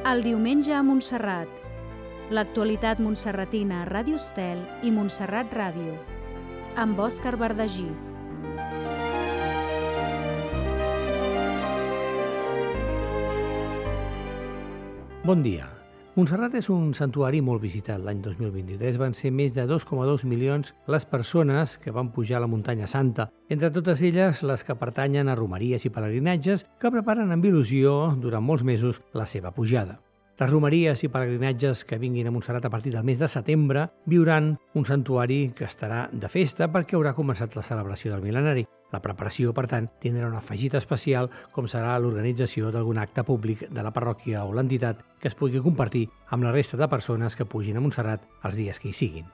El diumenge a Montserrat. L'actualitat montserratina a Ràdio Estel i Montserrat Ràdio. Amb Òscar Verdagí. Bon dia. Montserrat és un santuari molt visitat. L'any 2023 van ser més de 2,2 milions les persones que van pujar a la muntanya santa. Entre totes elles, les que pertanyen a romeries i pelegrinatges que preparen amb il·lusió durant molts mesos la seva pujada. Les romeries i pelegrinatges que vinguin a Montserrat a partir del mes de setembre viuran un santuari que estarà de festa perquè haurà començat la celebració del mil·lenari. La preparació, per tant, tindrà un afegit especial com serà l'organització d'algun acte públic de la parròquia o l'entitat que es pugui compartir amb la resta de persones que pugin a Montserrat els dies que hi siguin.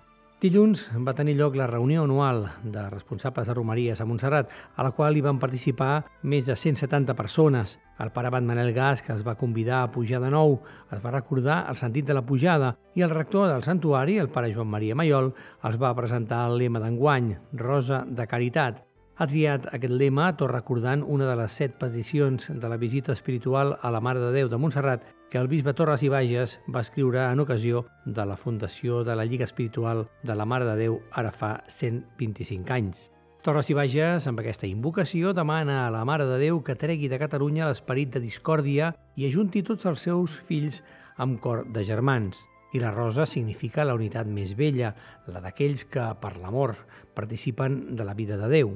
Dilluns va tenir lloc la reunió anual de responsables de romeries a Montserrat, a la qual hi van participar més de 170 persones. El pare abat Manel Gas, que es va convidar a pujar de nou, es va recordar el sentit de la pujada i el rector del santuari, el pare Joan Maria Maiol, els va presentar el lema d'enguany, Rosa de Caritat. Ha triat aquest lema tot recordant una de les 7 peticions de la visita espiritual a la Mare de Déu de Montserrat que el bisbe Torres i Bages va escriure en ocasió de la fundació de la Lliga Espiritual de la Mare de Déu ara fa 125 anys. Torres i Bages, amb aquesta invocació, demana a la Mare de Déu que tregui de Catalunya l'esperit de discòrdia i ajunti tots els seus fills amb cor de germans. I la rosa significa la unitat més bella, la d'aquells que, per l'amor, participen de la vida de Déu.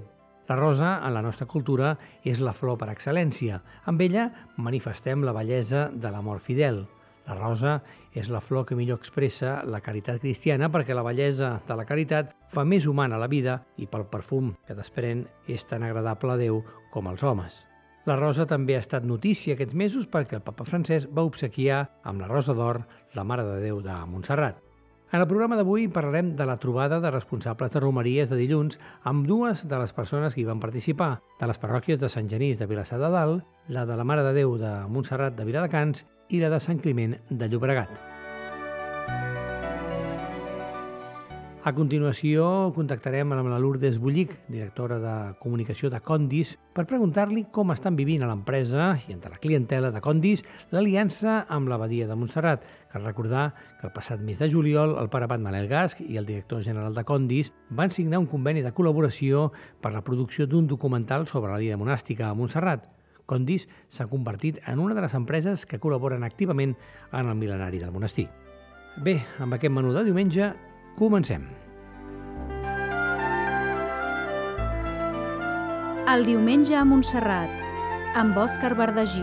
La rosa, en la nostra cultura, és la flor per excel·lència. Amb ella manifestem la bellesa de l'amor fidel. La rosa és la flor que millor expressa la caritat cristiana perquè la bellesa de la caritat fa més humana la vida i pel perfum que desprèn és tan agradable a Déu com als homes. La rosa també ha estat notícia aquests mesos perquè el papa Francesc va obsequiar amb la rosa d'or la Mare de Déu de Montserrat. En el programa d'avui parlarem de la trobada de responsables de romeries de dilluns amb dues de les persones que hi van participar, de les parròquies de Sant Genís de Vilassar de Dalt, la de la Mare de Déu de Montserrat de Viladecans i la de Sant Climent de Llobregat. A continuació, contactarem amb la Lourdes Bullic, directora de comunicació de Condis, per preguntar-li com estan vivint a l'empresa i entre la clientela de Condis l'aliança amb l'Abadia de Montserrat. Cal recordar que el passat mes de juliol el pare abat Manel Gas i el director general de Condis van signar un conveni de col·laboració per la producció d'un documental sobre la vida monàstica a Montserrat. Condis s'ha convertit en una de les empreses que col·laboren activament en el mil·lenari del monestir. Bé, amb aquest menú de diumenge, comencem. El diumenge a Montserrat, amb Òscar Verdagí.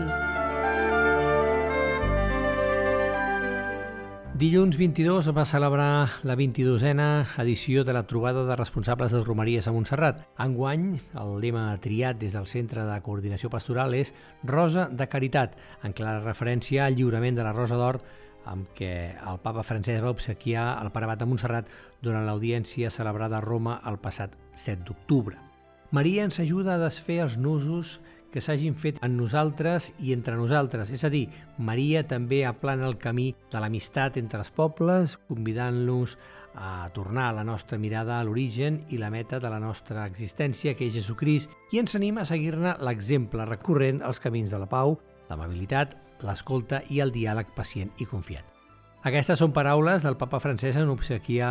Dilluns 22 va celebrar la 22a edició de la trobada de responsables de romeries a Montserrat. Enguany, el lema triat des del Centre de Coordinació Pastoral és Rosa de Caritat, en clara referència al lliurament de la Rosa d'Or amb què el papa Francesc va obsequiar el pare abat de Montserrat durant l'audiència celebrada a Roma el passat 7 d'octubre. Maria ens ajuda a desfer els nusos que s'hagin fet en nosaltres i entre nosaltres, és a dir, Maria també aplana el camí de l'amistat entre els pobles, convidant-los a tornar la nostra mirada a l'origen i la meta de la nostra existència, que és Jesucrist, i ens anima a seguir-ne l'exemple recorrent als camins de la pau, l'amabilitat, l'escolta i el diàleg pacient i confiat. Aquestes són paraules del papa Francesc en obsequiar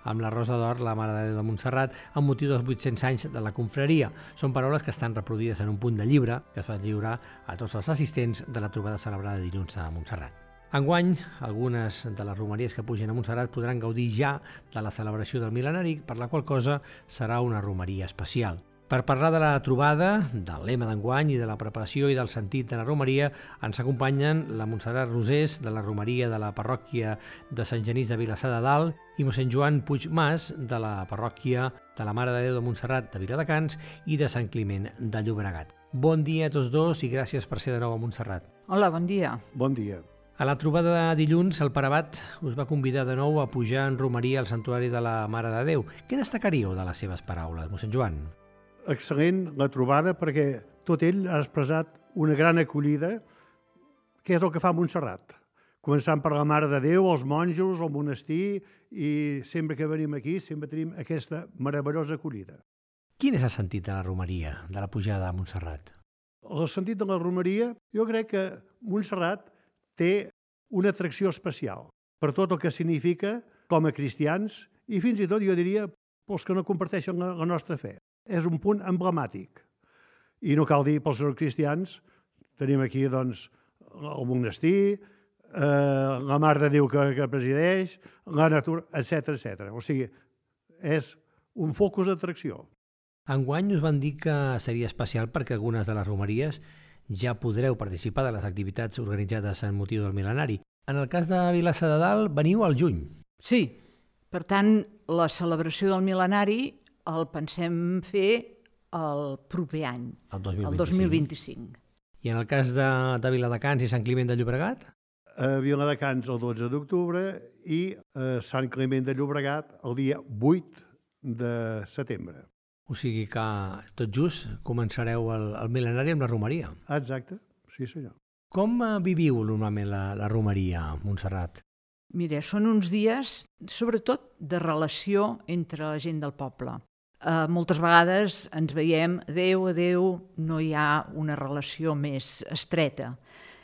amb la Rosa d'Or la Mare de Déu de Montserrat amb motiu dels 800 anys de la confraria. Són paraules que estan reproduïdes en un punt de llibre que es va lliurar a tots els assistents de la trobada celebrada dilluns a Montserrat. Enguany, algunes de les romeries que pugen a Montserrat podran gaudir ja de la celebració del mil·lenari, per la qual cosa serà una romeria especial. Per parlar de la trobada, del lema d'enguany i de la preparació i del sentit de la romeria, ens acompanyen la Montserrat Rosés, de la romeria de la parròquia de Sant Genís de Vilassar de Dalt, i mossèn Joan Puig Mas, de la parròquia de la Mare de Déu de Montserrat de Viladecans i de Sant Climent de Llobregat. Bon dia a tots dos i gràcies per ser de nou a Montserrat. Hola, bon dia. Bon dia. A la trobada de dilluns, el pare abat us va convidar de nou a pujar en romeria al santuari de la Mare de Déu. Què destacaríeu de les seves paraules, mossèn Joan? Excel·lent la trobada perquè tot ell ha expressat una gran acollida, que és el que fa Montserrat. Començant per la Mare de Déu, els monjos, el monestir, i sempre que venim aquí sempre tenim aquesta meravellosa acollida. Quin és el sentit de la romeria, de la pujada a Montserrat? El sentit de la romeria, jo crec que Montserrat té una atracció especial per tot el que significa com a cristians i fins i tot, jo diria, pels que no comparteixen la nostra fe. És un punt emblemàtic. I no cal dir pels no cristians, tenim aquí doncs, el monestir, la Mare de Déu que presideix, la natura, etc. O sigui, és un focus d'atracció. Enguany us van dir que seria especial perquè algunes de les romeries ja podreu participar de les activitats organitzades en motiu del mil·lenari. En el cas de Vilassar de Dalt, veniu al juny. Sí, per tant, la celebració del mil·lenari el pensem fer el proper any, el 2025. I en el cas de Viladecans i Sant Climent de Llobregat? A Viladecans el 12 d'octubre i a Sant Climent de Llobregat el dia 8 de setembre. O sigui que tot just començareu el mil·lenari amb la romeria. Exacte, sí senyor. Com viviu normalment la romeria, Montserrat? Mira, són uns dies, sobretot, de relació entre la gent del poble. Moltes vegades ens veiem, adéu, no hi ha una relació més estreta.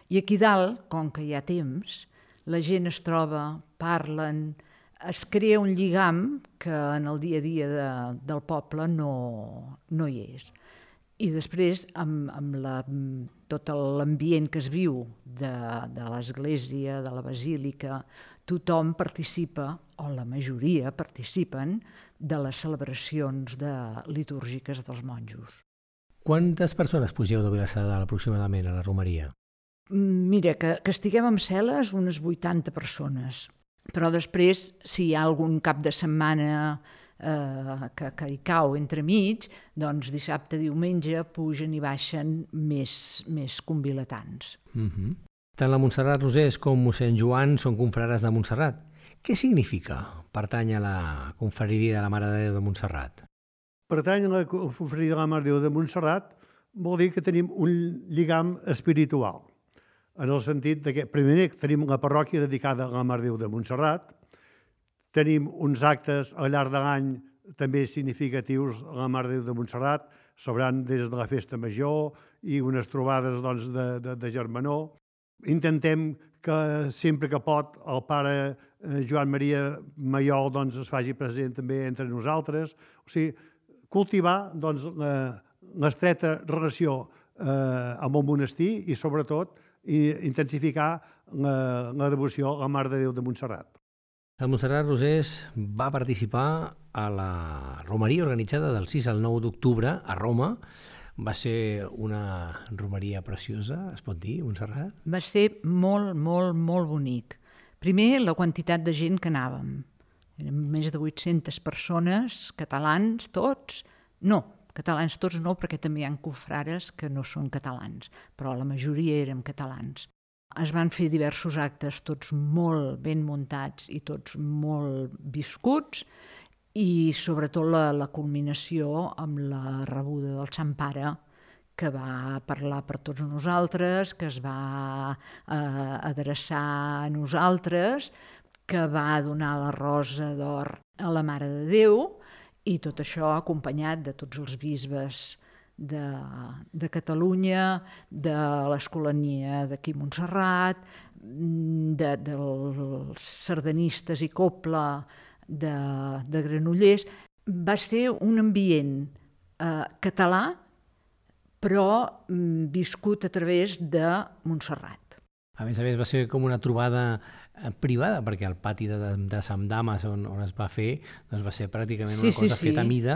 I aquí dalt, com que hi ha temps, la gent es troba, parlen, es crea un lligam que en el dia a dia del poble no hi és. I després, amb tot l'ambient que es viu de l'església, de la basílica, tothom participa, o la majoria participen, de les celebracions litúrgiques dels monjos. Quantes persones pugeu de Vilassar de Dalt aproximadament a la romeria? Mira, que estiguem amb cel·les, unes 80 persones. Però després, si hi ha algun cap de setmana que hi cau entremig, doncs dissabte, diumenge, pugen i baixen més convilatans. Tant la Montserrat Rosés com mossèn Joan són confrares de Montserrat. Què significa pertany a la confraria de la Mare de Déu de Montserrat? Pertany a la confraria de la Mare de Déu de Montserrat vol dir que tenim un lligam espiritual. En el sentit que, primer, tenim la parròquia dedicada a la Mare de Déu de Montserrat, tenim uns actes al llarg de l'any també significatius a la Mare de Déu de Montserrat, celebrant des de la Festa Major i unes trobades doncs, de germanor. Intentem que sempre que pot el pare Joan Maria Maiol doncs, es faci present també entre nosaltres. O sigui, cultivar doncs, l'estreta relació amb el monestir i, sobretot, intensificar la devoció a la Mare de Déu de Montserrat. La Montserrat Rosés va participar a la romeria organitzada del 6 al 9 d'octubre a Roma. Va ser una romeria preciosa, es pot dir, Montserrat? Va ser molt, molt, molt bonic. Primer, la quantitat de gent que anàvem. Érem més de 800 persones, catalans tots. No, catalans tots no, perquè també hi ha confrares que no són catalans, però la majoria érem catalans. Es van fer diversos actes, tots molt ben muntats i tots molt viscuts, i sobretot la culminació amb la rebuda del Sant Pare, que va parlar per tots nosaltres, que es va adreçar a nosaltres, que va donar la rosa d'or a la Mare de Déu, i tot això acompanyat de tots els bisbes de Catalunya, de l'Escolania d'aquí a Montserrat, dels sardanistes i copla de Granollers. Va ser un ambient català, però viscut a través de Montserrat. A més, va ser com una trobada privada, perquè el pati de Sant Damas on es va fer doncs va ser pràcticament una cosa feta a mida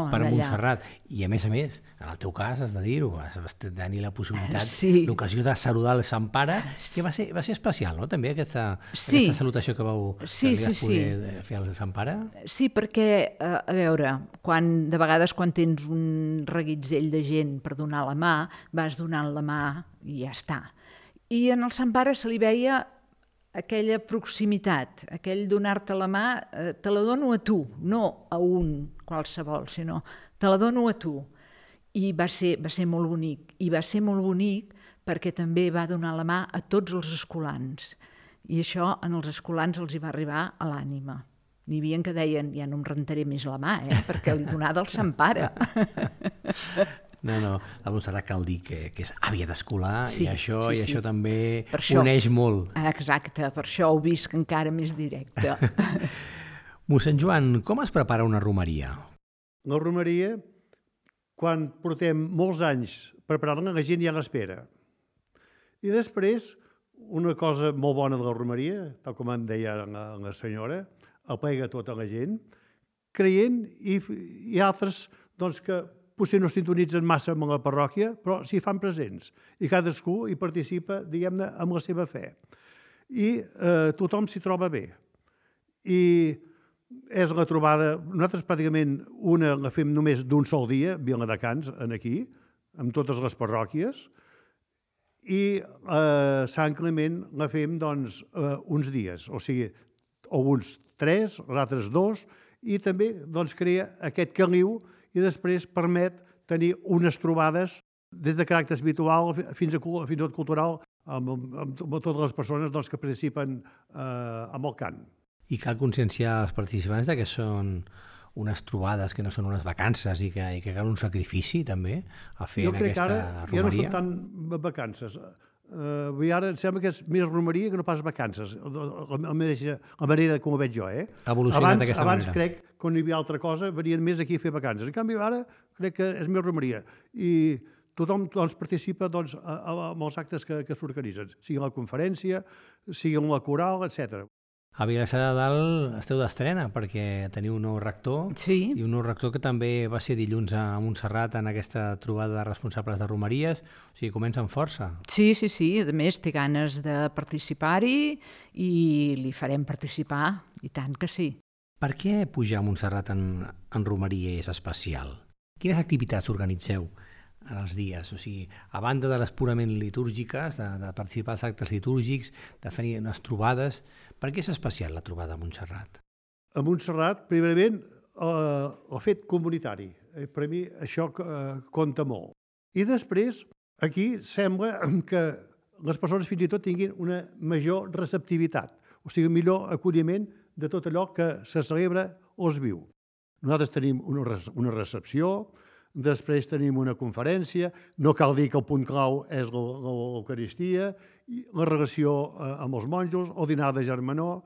per Montserrat. I a més, en el teu cas, has de dir-ho, vas tenir la possibilitat, l'ocasió de saludar el Sant Pare, que va ser especial, no?, també, aquesta salutació que vau poder fer al Sant Pare. Sí, perquè, a veure, de vegades quan tens un reguitzell de gent per donar la mà, vas donant la mà i ja està. I en el Sant Pare se li veia aquella proximitat, aquell donar-te la mà, te la dono a tu, no a un qualsevol, sinó te la dono a tu. I va ser molt bonic. I va ser molt bonic perquè també va donar la mà a tots els escolans. I això en els escolans els hi va arribar a l'ànima. N'hi havia que deien, ja no em rentaré més la mà, perquè li donava el Sant Pare. No, la Montserrat cal dir que és àvia d'escolar Sí, i això sí, sí. això també Per això. uneix molt. Exacte, per això ho visc encara més directe. Mossèn Joan, com es prepara una romeria? La romeria, quan portem molts anys preparant-la, la gent ja l'espera. I després, una cosa molt bona de la romeria, tal com em deia la senyora, aplega tota la gent, creient i altres doncs, que potser no sintonitzen massa amb la parròquia, però s'hi fan presents. I cadascú hi participa, diguem-ne, amb la seva fe. I tothom s'hi troba bé. I és la trobada, nosaltres pràcticament una la fem només d'un sol dia, Viladecans, aquí, amb totes les parròquies, i Sant Climent la fem doncs, uns dies, o sigui, uns 3, els altres 2, i també doncs, crea aquest caliu i després permet tenir unes trobades des de caràcter habitual fins a tot cultural amb totes les persones doncs, que participen amb el cant. I cal conscienciar els participants de que són unes trobades, que no són unes vacances i que cal un sacrifici també a fer en aquesta romeria. Jo crec que ara ja no són tant vacances. Ara em sembla que és més romeria que no pas vacances, la manera com ho veig jo. Ha evolucionat d'aquesta manera. Abans crec que quan hi havia altra cosa venien més aquí a fer vacances. En canvi ara crec que és més romeria. I tothom doncs, participa doncs, en els actes que s'organitzen, sigui la conferència, sigui la coral, etc. A Vilassar de Dalt esteu d'estrena perquè teniu un nou rector Sí. i un nou rector que també va ser dilluns a Montserrat en aquesta trobada de responsables de romeries, o sigui, comença amb força. Sí. A més, té ganes de participar-hi i li farem participar, i tant que sí. Per què pujar a Montserrat en romeria és especial? Quines activitats organitzeu en els dies? O sigui, a banda de les purament litúrgiques, de participar als actes litúrgics, de fer unes trobades, per què és especial la trobada a Montserrat? A Montserrat, primerament, el fet comunitari. Per mi això compta molt. I després, aquí sembla que les persones fins i tot tinguin una major receptivitat, o sigui, millor acolliment de tot allò que se celebra o es viu. Nosaltres tenim una recepció, després tenim una conferència, no cal dir que el punt clau és l'Eucaristia, la relació amb els monjos, el dinar de germanor,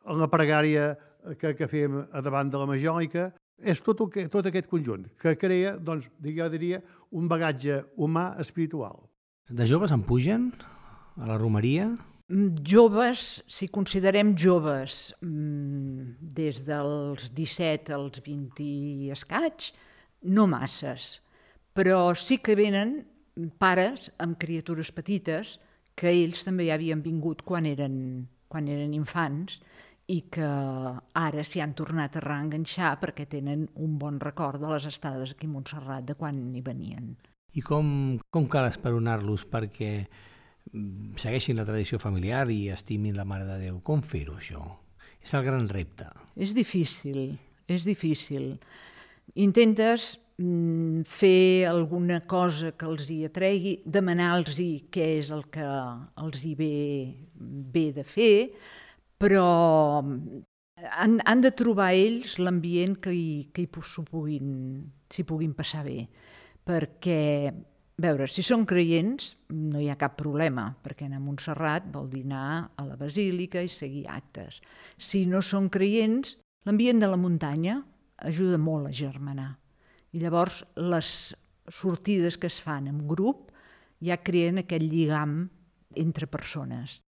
la pregària que fem davant de la Majòlica, és tot aquest conjunt que crea, doncs, jo diria, un bagatge humà espiritual. De joves en pugen a la romeria? Joves, si considerem joves, des dels 17 als 20 i escaig, no masses, però sí que venen pares amb criatures petites que ells també ja havien vingut quan eren infants i que ara s'hi han tornat a reenganxar perquè tenen un bon record de les estades aquí a Montserrat de quan hi venien. I com cal esperonar-los perquè segueixin la tradició familiar i estimin la Mare de Déu? Com fer-ho, això? És el gran repte. És difícil. Intentes fer alguna cosa que els hi atregui, demanar-los què és el que els hi ve de fer, però han de trobar ells l'ambient que s'hi puguin passar bé. Perquè, a veure, si són creients no hi ha cap problema, perquè anar a Montserrat vol dir anar a la basílica i seguir actes. Si no són creients, l'ambient de la muntanya ajuda molt a germanar. I llavors les sortides que es fan en grup ja creen aquest lligam entre persones.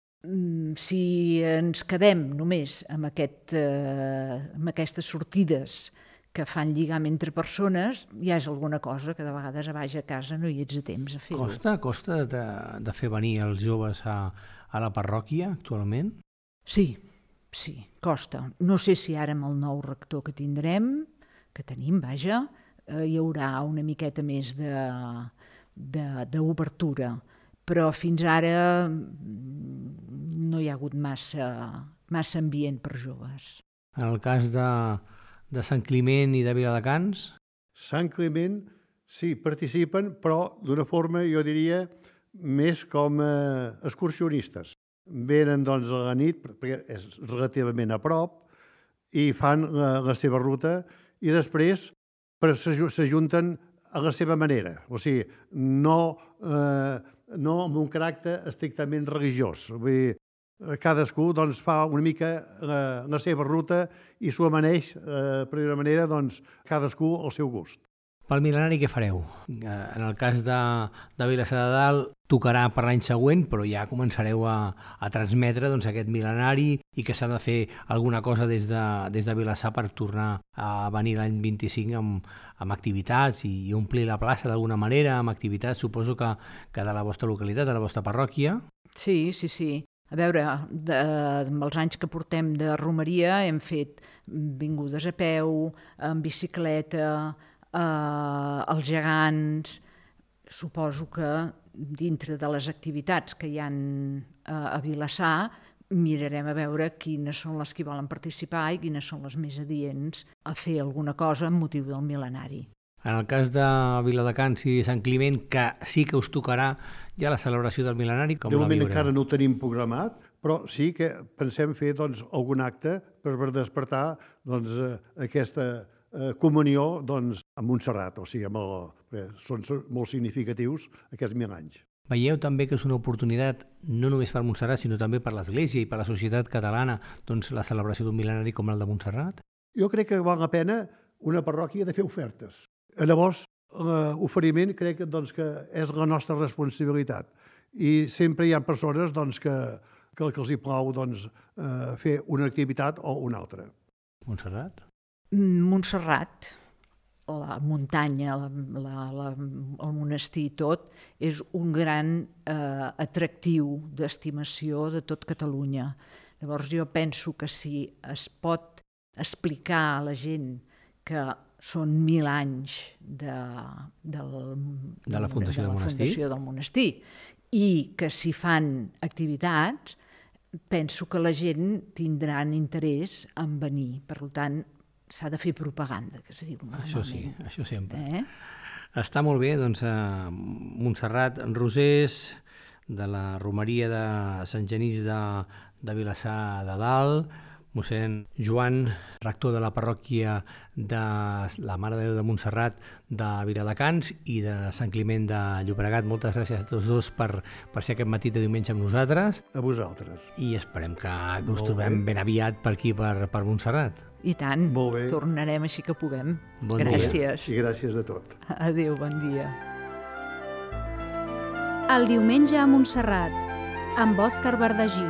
Si ens quedem només amb aquestes sortides que fan lligam entre persones, ja és alguna cosa que de vegades a baix a casa no hi ets a temps a fer-ho. Costa de fer venir els joves a la parròquia actualment? Sí, costa. No sé si ara amb el nou rector que tenim, vaja, hi haurà una miqueta més d'obertura, però fins ara no hi ha hagut massa ambient per joves. En el cas de Sant Climent i de Viladecans? Sant Climent, sí, participen, però d'una forma, jo diria, més com excursionistes. Venen doncs a la nit, perquè és relativament a prop, i fan la seva ruta, i després s'ajunten a la seva manera, o sigui, no amb un caràcter estrictament religiós. Vull dir, cadascú doncs, fa una mica la seva ruta i s'ho amaneix, per dir-ho manera, doncs, cadascú al seu gust. Pel mil·lenari què fareu? En el cas de Vilassar de Dalt tocarà per l'any següent, però ja començareu a transmetre doncs, aquest mil·lenari i que s'ha de fer alguna cosa des de Vilassar per tornar a venir l'any 25 amb activitats i omplir la plaça d'alguna manera, amb activitats, suposo que de la vostra localitat, de la vostra parròquia. Sí. A veure, amb els anys que portem de romeria hem fet vingudes a peu, en bicicleta, els gegants. Suposo que dintre de les activitats que hi ha a Vilassar mirarem a veure quines són les que volen participar i quines són les més adients a fer alguna cosa amb motiu del mil·lenari. En el cas de Viladecans i Sant Climent, que sí que us tocarà ja la celebració del mil·lenari, com la viureu? De moment encara no ho tenim programat, però sí que pensem fer doncs, algun acte per despertar doncs, aquesta comunió doncs, amb Montserrat, o sigui, són molt significatius aquests 1000 anys. Veieu també que és una oportunitat no només per Montserrat, sinó també per l'Església i per la societat catalana, doncs, la celebració d'un mil·lenari com el de Montserrat? Jo crec que val la pena una parròquia de fer ofertes. Llavors, l'oferiment crec doncs, que és la nostra responsabilitat. I sempre hi ha persones doncs, que els hi plau doncs, fer una activitat o una altra. Montserrat? Montserrat, la muntanya, el monestir i tot, és un gran atractiu d'estimació de tot Catalunya. Llavors jo penso que si es pot explicar a la gent que són 1000 anys de la fundació del monestir i que s'hi fan activitats, penso que la gent tindrà interès en venir. Per tant, s'ha de fer propaganda, que es diu normalment. Això sí, això sempre. Està molt bé, doncs, Montserrat Rosés, de la romeria de Sant Genís de Vilassar de Dalt, mossèn Joan, rector de la parròquia de la Mare de Déu de Montserrat de Viladecans i de Sant Climent de Llobregat. Moltes gràcies a tots dos per ser aquest matí de diumenge amb nosaltres. A vosaltres. I esperem que us trobem ben aviat per aquí, per Montserrat. I tant, molt bé. Tornarem així que puguem. Bon gràcies. Dia. I gràcies de tot. Adéu, bon dia. El diumenge a Montserrat, amb Òscar Verdagí.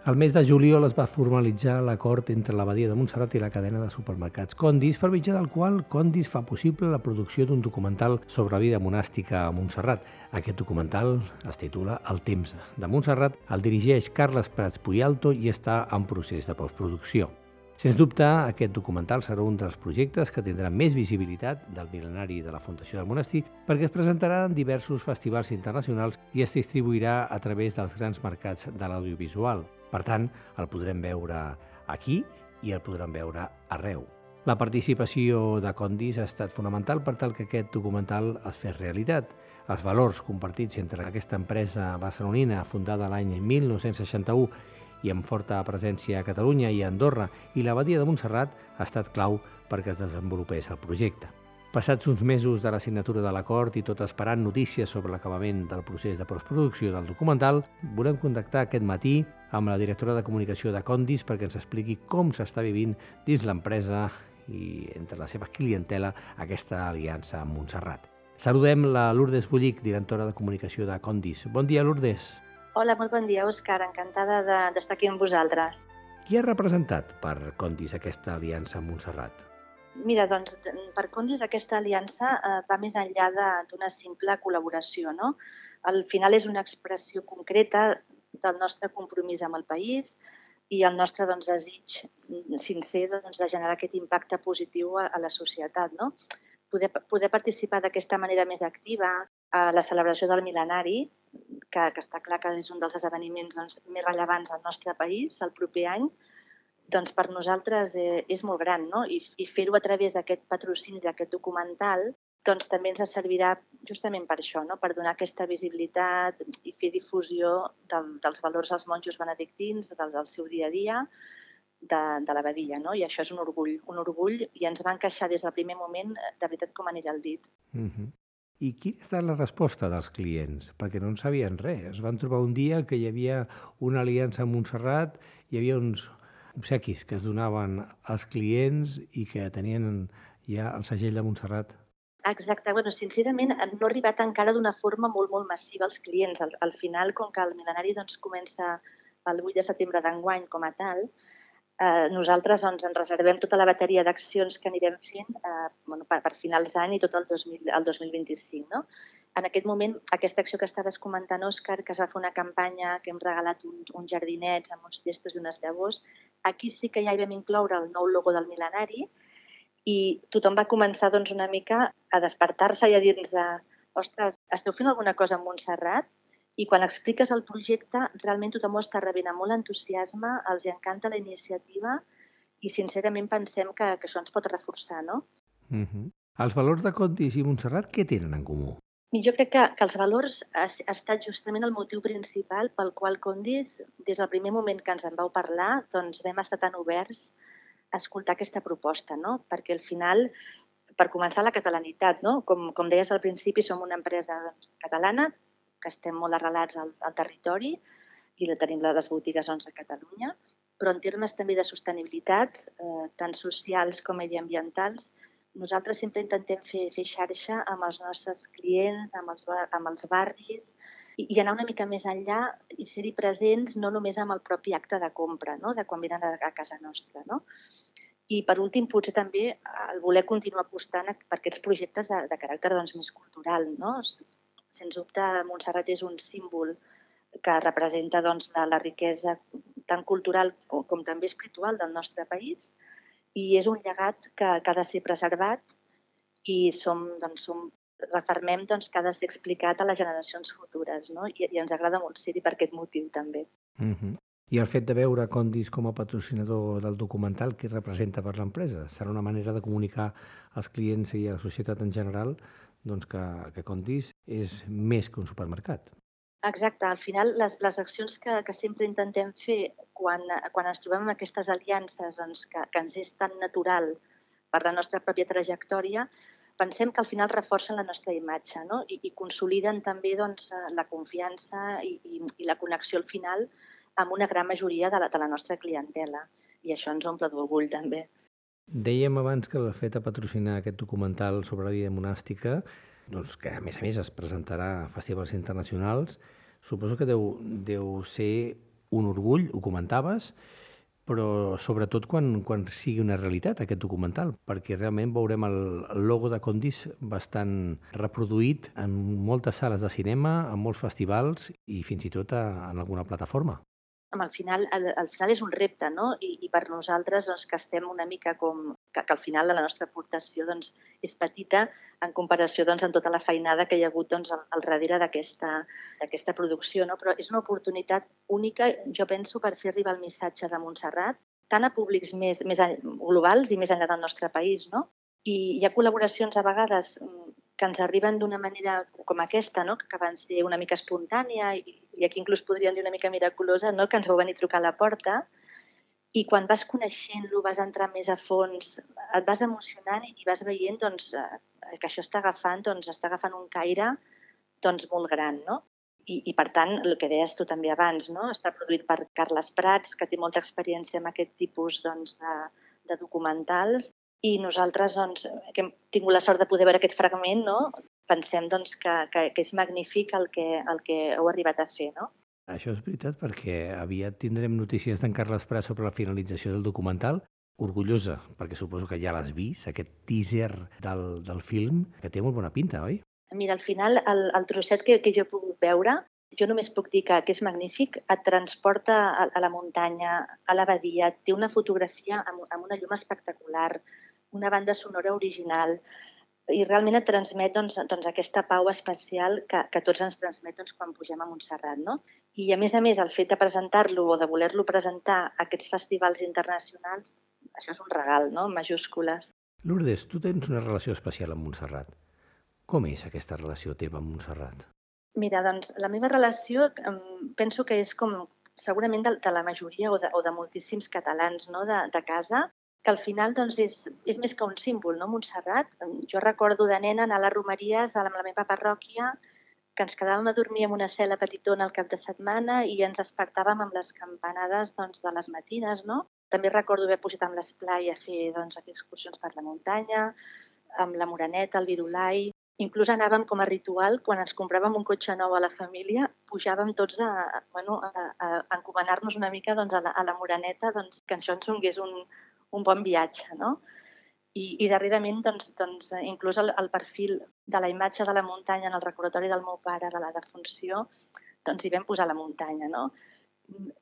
El mes de juliol es va formalitzar l'acord entre l'Abadia de Montserrat i la cadena de supermercats Condis, per mitjà del qual Condis fa possible la producció d'un documental sobre la vida monàstica a Montserrat. Aquest documental es titula El temps de Montserrat, el dirigeix Carles Prats Puyalto i està en procés de postproducció. Sens dubte, aquest documental serà un dels projectes que tindrà més visibilitat del mil·lenari de la Fundació del Monestir, perquè es presentarà en diversos festivals internacionals i es distribuirà a través dels grans mercats de l'audiovisual. Per tant, el podrem veure aquí i el podrem veure arreu. La participació de Condis ha estat fonamental per tal que aquest documental es fes realitat. Els valors compartits entre aquesta empresa barcelonina, fundada l'any 1961 i amb forta presència a Catalunya i a Andorra, i l'Abadia de Montserrat ha estat clau perquè es desenvolupés el projecte. Passats uns mesos de la signatura de l'acord i tot esperant notícies sobre l'acabament del procés de postproducció del documental, volem contactar aquest matí amb la directora de comunicació de Condis perquè ens expliqui com s'està vivint dins l'empresa i entre la seva clientela aquesta aliança amb Montserrat. Saludem la Lourdes Bullic, directora de comunicació de Condis. Bon dia, Lourdes. Hola, molt bon dia, Òscar. Encantada d'estar aquí amb vosaltres. Qui ha representat per Condis aquesta aliança amb Montserrat? Mira, doncs, per Condis aquesta aliança va més enllà d'una simple col·laboració, no? Al final és una expressió concreta del nostre compromís amb el país i el nostre desig sincer de generar aquest impacte positiu a la societat, no? Poder participar d'aquesta manera més activa a la celebració del mil·lenari, que està clar que és un dels esdeveniments més rellevants al nostre país el proper any, doncs per nosaltres és molt gran, no? I fer-ho a través d'aquest patrocini d'aquest documental doncs també ens servirà justament per això, no? Per donar aquesta visibilitat i fer difusió dels valors dels monjos benedictins, del seu dia a dia, de la Badia, no? I això és un orgull, i ens va encaixar des del primer moment, de veritat, com anell al dit. I quina ha estat la resposta dels clients? Perquè no en sabien res. Es van trobar un dia que hi havia una aliança amb Montserrat, hi havia uns obsequis que es donaven als clients i que tenien ja el segell de Montserrat. Exacte. Bueno, sincerament, no ha arribat encara d'una forma molt, molt massiva als clients. Al final, com que el mil·lenari comença el 8 de setembre d'enguany com a tal, nosaltres ens reservem tota la bateria d'accions que anirem fent per finals d'any i tot el 2025. No? En aquest moment, aquesta acció que estaves comentant, Òscar, que es va fer una campanya que hem regalat uns jardinets amb uns testos i unes llavors, aquí sí que ja hi vam incloure el nou logo del mil·lenari i tothom va començar una mica a despertar-se i a dir-nos ostres, esteu fent alguna cosa amb Montserrat? I quan expliques el projecte, realment tothom ho està rebent amb molt entusiasme, els encanta la iniciativa i sincerament pensem que això ens pot reforçar, no? Els valors de Condis i Montserrat, què tenen en comú? Jo crec que els valors ha estat justament el motiu principal pel qual Condis, des del primer moment que ens en vau parlar, doncs vam estar tan oberts a escoltar aquesta proposta, no? Perquè al final, per començar, la catalanitat, no? Com deies al principi, som una empresa catalana, que estem molt arrelats al territori i tenim les botigues a Catalunya, però en termes també de sostenibilitat, tant socials com mediambientals, nosaltres sempre intentem fer xarxa amb els nostres clients, amb els barris, i anar una mica més enllà i ser-hi presents no només amb el propi acte de compra, no? De quan venen a casa nostra. No? I per últim, potser també el voler continuar apostant per aquests projectes de caràcter més cultural. No? Sens dubte, Montserrat és un símbol que representa la riquesa tant cultural com també espiritual del nostre país i és un llegat que ha de ser preservat i refermem que ha de ser explicat a les generacions futures, no? I ens agrada molt ser-hi per aquest motiu també. I el fet de veure Condis com a patrocinador del documental, què representa per l'empresa? Serà una manera de comunicar als clients i a la societat en general que Condis és més que un supermercat. Exacte. Al final, les accions que sempre intentem fer quan ens trobem amb aquestes aliances que ens és tan natural per la nostra pròpia trajectòria, pensem que al final reforcen la nostra imatge, no? I consoliden també la confiança i la connexió al final amb una gran majoria de la nostra clientela. I això ens omple d'orgull també. Dèiem abans que el fet de patrocinar aquest documental sobre la vida monàstica, que a més es presentarà a festivals internacionals, suposo que deu ser un orgull, ho comentaves, però sobretot quan sigui una realitat aquest documental, perquè realment veurem el logo de Condis bastant reproduït en moltes sales de cinema, en molts festivals i fins i tot en alguna plataforma. Al final és un repte, no? I per nosaltres que estem una mica que al final la nostra aportació és petita en comparació amb tota la feinada que hi ha hagut al darrere d'aquesta producció, no? Però és una oportunitat única, jo penso, per fer arribar el missatge de Montserrat tant a públics més globals i més enllà del nostre país, no? I hi ha col·laboracions a vegades que ens arriben d'una manera com aquesta, no? Que van ser una mica espontània i aquí inclús podríem dir una mica miraculosa, no? Que ens vau venir a trucar a la porta i quan vas coneixent-lo, vas entrar més a fons, et vas emocionant i vas veient que això està agafant un caire molt gran, no? I per tant, el que deies tu també abans, no? Està produït per Carles Prats, que té molta experiència en aquest tipus de documentals. I nosaltres, que hem tingut la sort de poder veure aquest fragment, no? Pensem que és magnífic el que heu arribat a fer, no? Això és veritat, perquè aviat tindrem notícies d'en Carles Prats sobre la finalització del documental. Orgullosa, perquè suposo que ja l'has vist, aquest teaser del film, que té molt bona pinta, oi? Mira, al final, el trosset que jo he pogut veure, jo només puc dir que és magnífic, et transporta a la muntanya, a la badia, té una fotografia amb una llum espectacular, una banda sonora original i realment et transmet aquesta pau especial que tots ens transmet quan pugem a Montserrat, no? I a més, el fet de presentar-lo o de voler-lo presentar a aquests festivals internacionals, això és un regal, no? En majúscules. Lourdes, tu tens una relació especial amb Montserrat. Com és aquesta relació teva amb Montserrat? Mira, la meva relació penso que és com segurament de la majoria o de moltíssims catalans, no? de casa, que al final doncs, és més que un símbol, no? Montserrat. Jo recordo de nena anar a les romeries amb la meva parròquia, que ens quedàvem a dormir en una cel·la petitona al cap de setmana i ens despertàvem amb les campanades doncs, de les matines, no? També recordo haver pujat amb l'esplai a fer doncs, excursions per la muntanya, amb la Moreneta, el Virulai. Inclús anàvem com a ritual, quan ens compràvem un cotxe nou a la família, pujàvem tots a encomanar-nos una mica doncs, a la Moreneta, doncs, que això ens donés un bon viatge, no? I darrerament, doncs, inclús el perfil de la imatge de la muntanya en el recordatori del meu pare de la defunció, doncs hi vam posar la muntanya, no?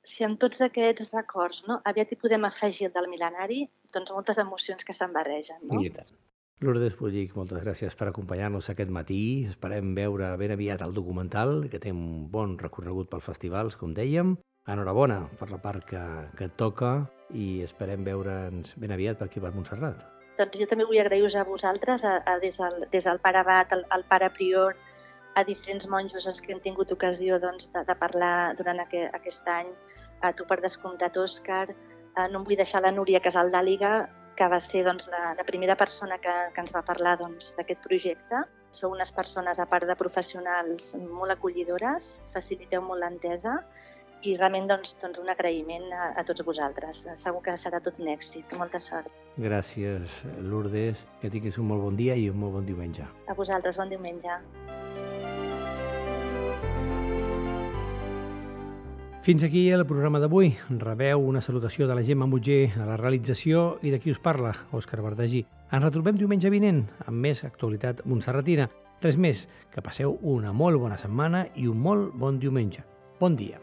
Si amb tots aquests records, no, aviat hi podem afegir el del mil·lenari, doncs moltes emocions que se'n barregen, no? I tant. Lourdes Puig, moltes gràcies per acompanyar-nos aquest matí. Esperem veure ben aviat el documental, que té un bon recorregut pels festivals, com dèiem. Enhorabona per la part que et toca i esperem veure'ns ben aviat per aquí per Montserrat. Doncs jo també vull agrair-vos a vosaltres, des del pare abat, al pare prior, a diferents monjos els que hem tingut ocasió doncs, de parlar durant aquest any, a tu per descomptat, Òscar. No em vull deixar la Núria Casaldàliga, que va ser doncs, la primera persona que ens va parlar d'aquest projecte. Sou unes persones, a part de professionals, molt acollidores, faciliteu molt l'entesa i realment doncs, un agraïment a tots vosaltres. Segur que serà tot un èxit. Molta sort. Gràcies, Lourdes. Que tinguis un molt bon dia i un molt bon diumenge. A vosaltres, bon diumenge. Fins aquí el programa d'avui. Rebeu una salutació de la Gemma Mutger a la realització i de qui us parla, Òscar Verdagí. Ens retrobem diumenge vinent amb més actualitat montserratina. Res més, que passeu una molt bona setmana i un molt bon diumenge. Bon dia.